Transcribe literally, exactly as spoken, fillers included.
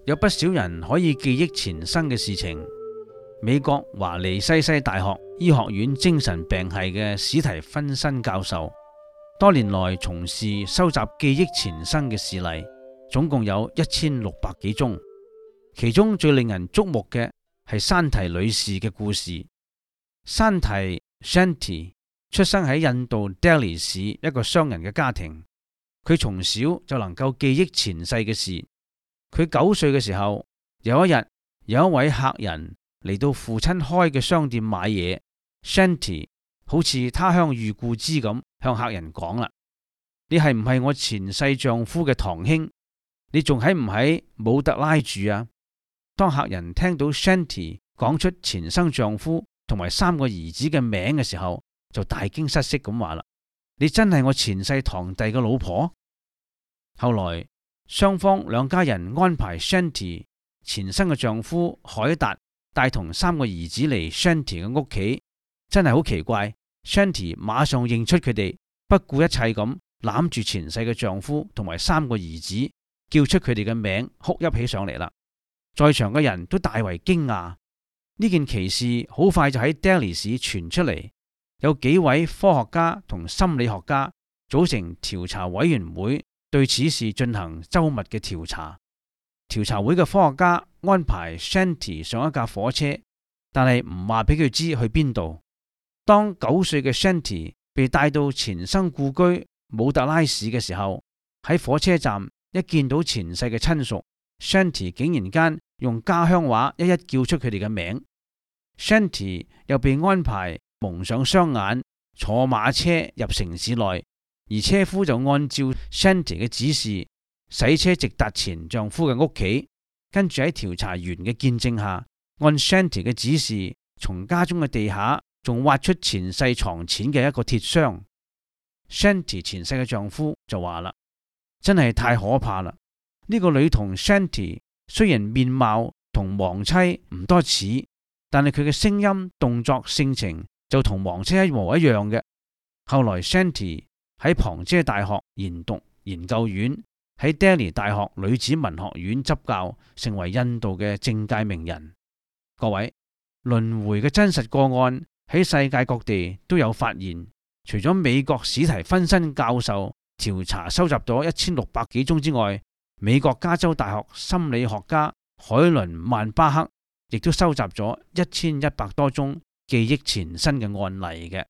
有不少人可以記憶前生嘅事情。美國華利西西大學醫學院精神病系嘅史提芬森教授，多年來從事收集記憶前生嘅事例，總共有一千六百幾宗。其中最令人矚目嘅係山提女士嘅故事。山提 Shanti 出生喺印度 Delhi 市一個商人嘅家庭，佢從小就能夠記憶前世嘅事。佢九歲嘅時候，有一日有一位客人嚟到父親開嘅商店買嘢。Shanti 好似他鄉遇故知咁向客人講啦：你係唔係我前世丈夫嘅堂兄？你仲喺唔喺姆特拉住啊？當客人聽到 Shanti 講出前生丈夫同埋三個兒子嘅名嘅時候，就大驚失色咁話啦：你真係我前世堂弟嘅老婆？後來雙方兩家人安排 Shanti 前生嘅丈夫海達帶同三個兒子嚟 Shanti 嘅屋企，真係好奇怪。Shanti 馬上認出佢哋，不顧一切咁攬住前世嘅丈夫同埋三個兒子，叫出佢哋嘅名，哭泣起上嚟啦。在場嘅人都大為驚訝。呢件奇事好快就喺 Delhi 市傳出嚟，有幾位科學家同心理學家組成調查委員會，對此事進行周密嘅調查。調查會嘅科學家安排 Shanti 上一架火車，但係唔話俾佢知去邊度。當九歲嘅 Shanti 被帶到前生故居姆特拉市嘅時候，喺火車站一見到前世嘅親屬， Shanti 竟然間用家鄉話一一叫出佢哋嘅名。Shanti 又被安排蒙上雙眼，坐馬車入城市內。而車夫就按照 Shanti 嘅指示，洗車直達前丈夫嘅屋企，跟住喺調查員嘅見證下，按 Shanti 嘅指示，從家中嘅地下仲挖出前世藏錢嘅一個鐵箱。Shanti 前世嘅丈夫就話啦：真係太可怕啦！呢個女童 Shanti 雖然面貌同亡妻唔多似，但係佢嘅聲音、動作、性情就同亡妻一模一樣嘅。後來 Shanti 喺旁遮大學研讀研究院，喺 Delhi 大學女子文學院執教，成為印度嘅政界名人。各位，輪迴嘅真實個案喺世界各地都有發現。除咗美國史提芬森教授調查收集咗一千六百幾宗之外，美國加州大學心理學家海倫曼巴克亦都收集咗一千一百多宗記憶前身嘅案例嘅。